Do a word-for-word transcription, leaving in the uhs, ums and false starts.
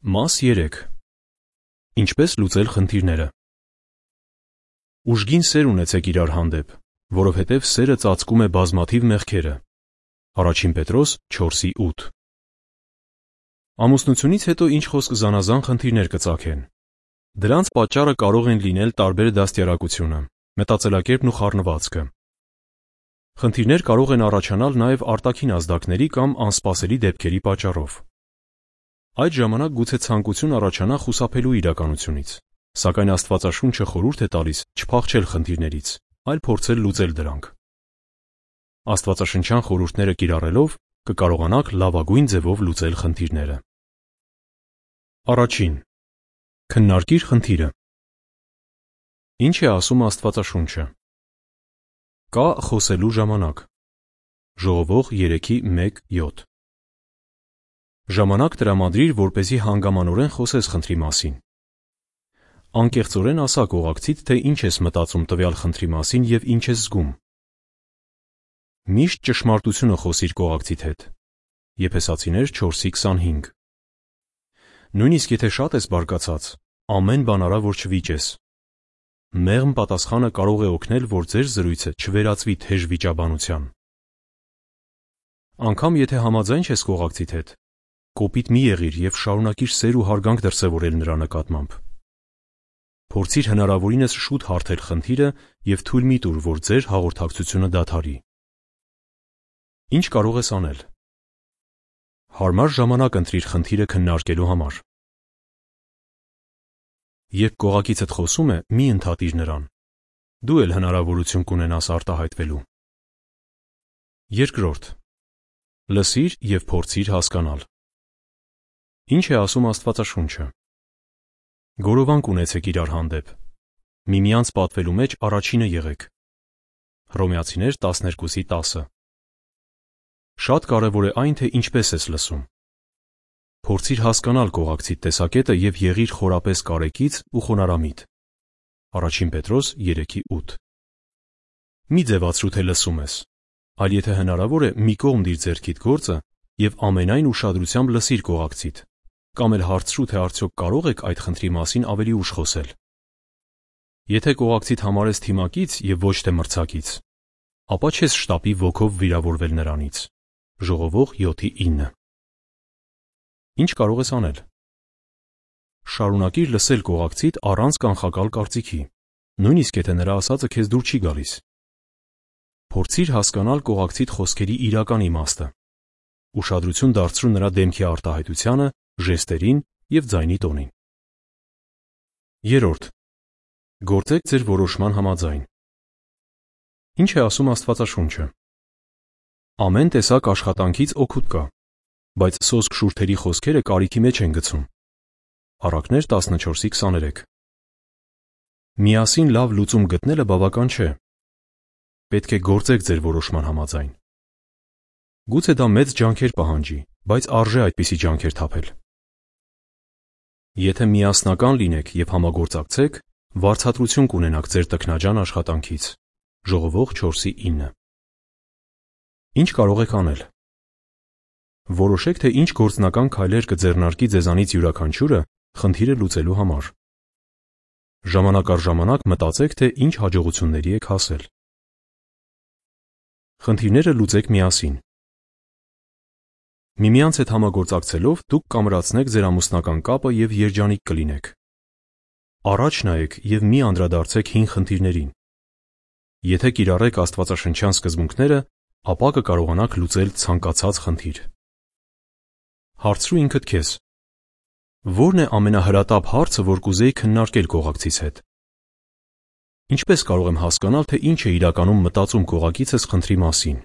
Մաս երեք. Ինչպես լուծել խնդիրները։ Ուժգին սեր ունեցեք իրար հանդեպ, որովհետև սերը ծածկում է բազմաթիվ մեղքերը։ Առաջին Պետրոս չորսի ութ։ Ամուսնությունից հետո ինչ խոսք զանազան խնդիրներ կծագեն։ Դրանց պատճառը կարող են լինել տարբեր դաստիարակությունը, մտածելակերպն ու խառնվածքը։ Խնդիրներ կարող են առաջանալ նաև արտաքին ազդակների կամ անսպասելի դեպքերի պատճառով։ Այդ ժամանակ գուցե ցանկություն առաջանա խուսափելու իրականությունից, սակայն Աստվածաշունչը խորհուրդ է տալիս չփախչել խնդիրներից, այլ փորձել լուծել դրանք։ Աստվածաշնչյան խորհուրդները կիրառելով կկարողանաք լավագույն ձևով լուծել խնդիրները։ Առաջին. Քննարկիր խնդիրը։ Ինչ է ասում Աստվածաշունչը։ Կա խոսելու ժամանակ։ Ժողովող երեքի մեկ յոթ։ Ժամանակ տրամադրիր, որպեսզի հանգամանորեն խոսես խնդրի մասին։ Անկեղծորեն ասա կողակցիդ, թե ինչ ես մտածում տվյալ խնդրի մասին և ինչ ես զգում։ Միշտ ճշմարտությունը խոսիր կողակցիդ հետ։ Եփեսացիներ չորսի քսանհինգ։ Նույնիսկ եթե շատ ես բարկացած, ամեն բան արա, որ չվիճես։ Մեղմ պատասխանը կարող է օգնել, որ ձեր զրույցը չվերածվի թեժ վիճաբանության։ Անգամ եթե համաձայն չես կողակցիդ հետ, կոպիտ մի եղիր և շարունակիր սեր ու հարգանք դրսևորել նրա նկատմամբ։ Փորձիր հնարավորինս շուտ հարթել խնդիրը և թույլ մի տուր, որ ձեր հաղորդակցությունը դադարի։ Ինչ կարող ես անել։ Հարմար ժամանակ ընտրիր խնդիրը քննարկելու համար։ Երբ կողակիցդ խոսում է, մի ընդհատիր նրան։ Դու էլ հնարավորություն կունենաս արտահայտվելու։ Երկրորդ. Լսիր և փորձիր հասկանալ։ Ինչ է ասում Աստվածաշունչը։ Գորովանք ունեցեք իրար հանդեպ։ Միմյանց պատվելու մեջ առաջինը եղեք։ Հռոմեացիներ տասներկուսի տասը։ Շատ կարևոր է այն, թե ինչպես ես լսում։ Փորձիր հասկանալ կողակցիդ տեսակետը և եղիր խորապես կարեկից ու խոնարհամիտ։ Առաջին Պետրոս երեքի ութ։ Մի ձևացրու, թե լսում ես, այլ եթե հնարավոր է, մի կողմ դիր ձեռքիդ գործը և ամենայն ուշադրությամբ լսիր կողակցիդ, կամ էլ հարցրու, թե արդյոք կարող եք այդ խնդրի մասին ավելի ուշ խոսել։ Եթե կողակցիդ համարես թիմակից և ոչ թե մրցակից, ապա չես շտապի ոգով վիրավորվել նրանից։ Ժողովող յոթի ինը։ Ինչ կարող ես անել։ Շարունակիր լսել կողակցիդ առանց կանխակալ կարծիքի, նույնիսկ եթե նրա ասածը քեզ դուր չի գալիս։ Փորձիր հասկանալ կողակցիդ խոսքերի իրական իմաստը։ Ուշադրություն դարձրու նրա դեմքի արտահայտությանը, ժեստերին և ձայնի տոնին։ Երրորդ. Գործեք ձեր որոշման համաձայն։ Ինչ է ասում Աստվածաշունչը։ Ամեն տեսակ աշխատանքից օգուտ կա, բայց սոսկ շուրթերի խոսքերը կարիքի մեջ են գցում։ Առակներ տասնչորսի քսաներեք։ Միասին լավ լուծում գտնելը բավական չէ։ Պետք է գործեք ձեր որոշման համաձայն։ Գուցե դա մեծ ջանքեր պահանջի, բայց արժե այդպիսի ջանքեր թափել։ Եթե միասնական լինեք և համագործակցեք, վարձատրություն կունենաք ձեր տքնաջան աշխատանքից։ Ժողովող չորսի ինը։ Ինչ կարող եք անել։ Որոշեք, թե ինչ գործնական քայլեր կձեռնարկի ձեզանից յուրաքանչյուրը խնդիրը լուծելու համար։ Ժամանակ առ ժամանակ մտածեք, թե ինչ հաջողությունների եք հասել։ Խնդիրները լուծեք միասին։ Միմյանց հետ համագործակցելով դուք կամրացնեք ձեր ամուսնական կապը և երջանիկ կլինեք։ Առաջ նայեք և մի անդրադարձեք հին խնդիրներին։ Եթե կիրառեք աստվածաշնչյան սկզբունքները, ապա կկարողանաք լուծել ցանկացած խնդիր։ Հարցրու ինքդ քեզ. ո՞րն է ամենահրատապ հարցը, որ կուզեի քննարկել կողակցիս հետ։ Ինչպես կարող եմ հասկանալ, թե ինչ է իրականում մտածում կողակիցս խնդրի մասին։